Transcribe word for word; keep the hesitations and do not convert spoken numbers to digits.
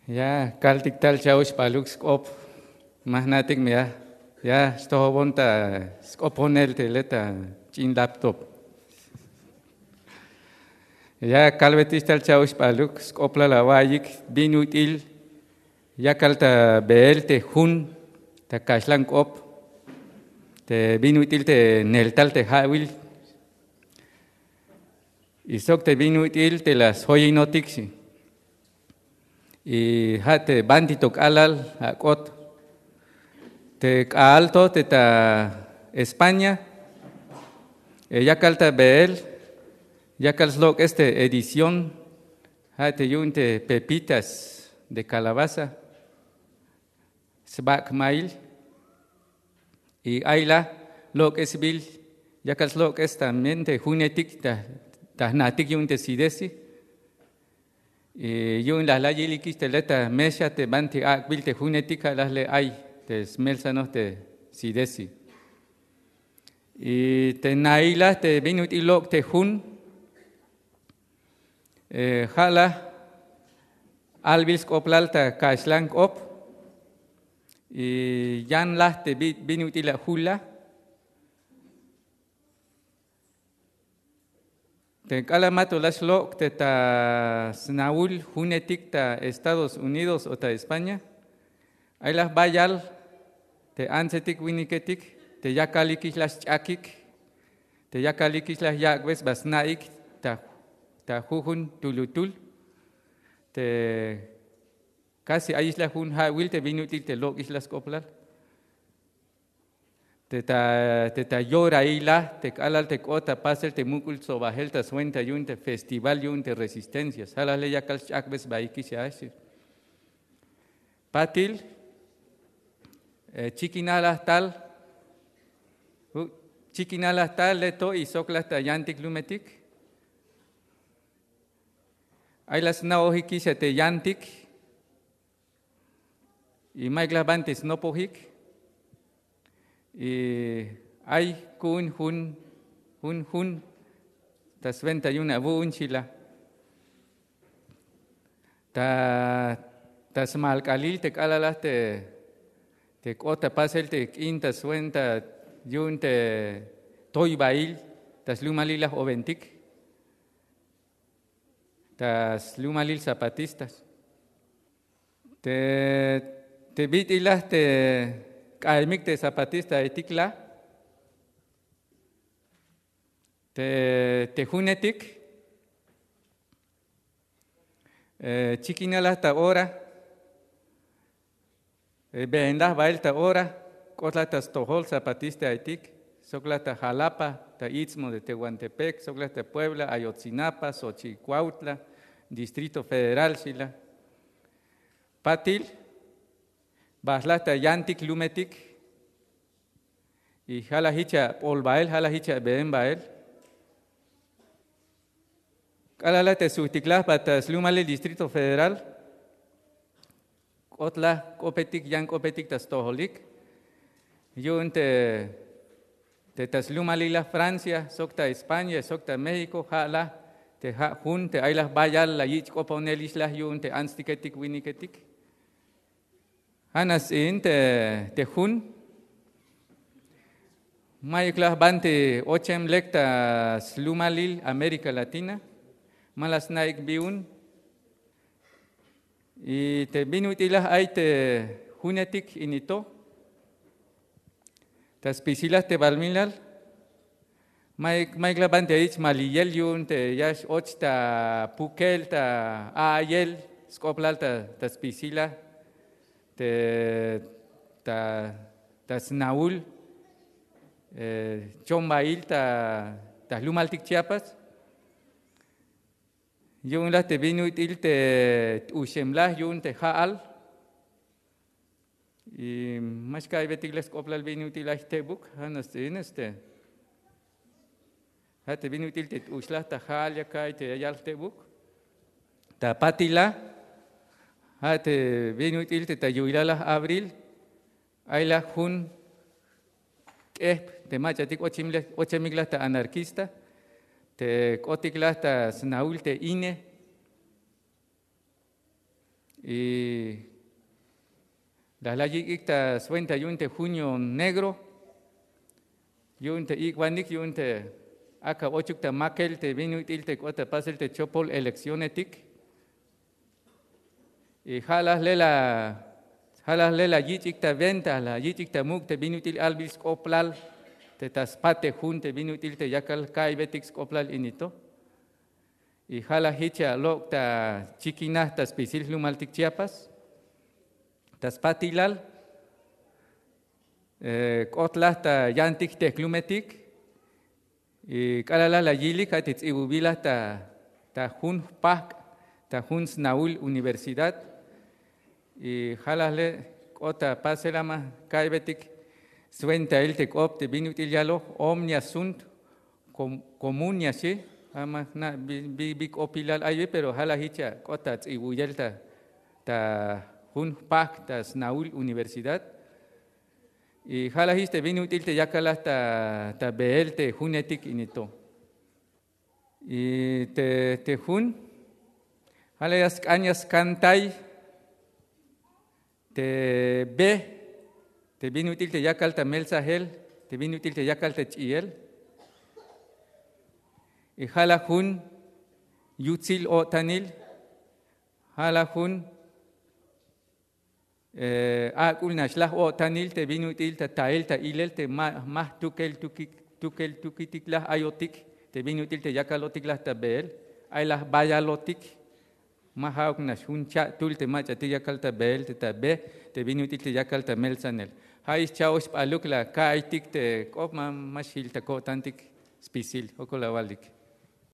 Ya kaltik tal cha'oxp'aluk sk'op. Ma jna'tik me ya ya xtojobon ta sk'oponel te le ta ch'in laptop. Ya kalbetix tal cha'oxp'aluk sk'oplal awa'iyik bin ut'il yakal ta beel te jun ta kaxlan k'op, te bin ut'il te neltal te ja'wil, y sok te bin ut'il te la sjoyinotik xi. Y ja' te banti to k'alal ak'ot te k'aal to te ta España. Yakal ta beel yakal slok'es te edición, ja' te yu'un te pepitas de calabaza, sbak'mail. Y ay la lok'esbil yakal slok'es también te junetik ta jna'tik yu'un te sidesi. Y yu'un la la yilikix te le ta mexa te banti ak'bil te junetik ja' la le ay te smelsanoj te sidesi. Y te naila te bin ut'il lok' te jun, ja' la albil sk'oplal ta kaxlan k'op. Y yan la te bin ut'il ajul la te k'alal ma to la xlok' te ta sna'ul junetik ta Estados Unidos o ta España. Ay la jbayal te antsetik winiketik te ya kalikix la sch'akik, te ya kalikix la yak'be sba sna'ik ta jujun tulutul. Te kasi ayix la jun ja'wil te bin ut'il te lok'ix la sk'oplal. Te ta te ta yorail la te k'alal te k'ot ta pasel te muk'ul tsobajel ta swenta yu'un te festival yu'un te resistencias ja' la le yakal sch'akbe sbaikix a xi. Patil, chikinal la tal. Chikinal la tal le to y sok la ta yantik lumetik. Ay la sna'ojikix a te yantik. Y mayuk la banti snopojik. Y ay ku'un jun jun jun ta swenta yu'un awu'un xi la. Ta ta smalk'alil te k'alal la te te k'ot ta pasel te k'in ta swenta yu'un te toybail ta slumalil la joventik, ta slumalil zapatistas. Te te bit'il la te k'aymik te zapatistaetik la te te junetik. Chikinal la ta ora. Been la bael ta ora. K'ot la ta stojol zapatistaetik sok la ta Jalapa, ta Istmo de Tehuantepec, sok la ta Puebla, Ayotzinapa, Xochitl, Cuautla, Distrito Federal xi la. Patil, bajlaj ta yantik lumetik. Y ja' la jich abol bael, ja' la jich abeen bael. K'alal la te sujtik la jba ta slumalil Distrito Federal. K'ot la k'opetik, yan k'opetik ta stojolik. Yu'un te te ta slumalil la Francia sok ta España sok ta México, ja' la te ja' jun te ay la jbayal la yich' k'oponelix la yu'un te antstiketik winiketik. Ja' nax ts'iin te jun. Mayuk la jbanti ochem lek ta slumalil América Latina. Ma la sna'ik bi'un. Y te bin ut'il la ay te junetik ini to ta spisil la te balumilal. Mayuk la banti ya yich' maliyel yu'un te ya x-och ta pukel ta a'ayel sk'oplal ta spisil la te ta ta sna'ul chombail ta ta jlumaltik Chiapas. Yu'un la te bin ut'il te t'uxem la yu'un te ja'al. Y ma xka'aybetik la sk'oplal bin ut'il ay jtebuk. Ja' nax ts'iin este ja' te bin ut'il te t'ux la ta ja'al ya ka'ay te ya yal jtebuk. Ta patil la ja' te bin ut'il te ta yu'ilal la abril. Ay la jun k'ejp te mach'atik ochemik la ta anarquista te k'otik la ta sna'ul te ine. Y la la yik'ik ta swenta yu'un te junio negro, yu'un te ik'banik yu'un te ak'a ochuk ta makel te bin ut'il te k'ot ta pasel te chopol eleccionetik. Y ja' la jle' la yich'ik ta venta, la yich'ik ta muk' te bin ut'il albil sk'oplal te ta spat te jun te bin ut'il te yakal ka'iybetik sk'oplal ini to. Y ja' la jich ya lok' ta chikinaj ta spisil jlumaltik Chiapas ta spatilal. K'ot la ta yantik jtejklumetik. Y k'alal la yilik ja' te ts'ibubil la ta jun jpajk' ta jun snahul universidad. Y ja' la jle' k'ot ta pasel a ma ka'iybetik swentail te k'op te bin ut'il yaloj omnia sunt comunia xi. A ma jna' bi k'opilal ay wi pero ja' la jich ya k'ot ta ts'ibuyel ta jun jpajk' ta snahul universidad. Y ja' la jich te bin ut'il te yakal la ta beel te junetik ini to. Y te jun ja' la ya sk'an ya skantay te be te bin ut'il te yakal ta meltzajel, te bin ut'il te yakal ta ch'iyel. Y ja' la jun yutsil o'tanil, ja' la jun ak'ul nax laj o'tanil te bin ut'il ta tael ta ilel te ma jtukel tukitik laj ayotik te bin ut'il te yakalotik laj ta beel. Ay laj bayalotik. Ma ja'uk nax jun cha'tul te mach'atik yakal ta beel te ta be te bin ut'il te yakal ta meltzanel. Ja' ix cha'ox p'aluk la ka'aytik te k'op ma xjil ta ko'tantik spisil jokol awalik.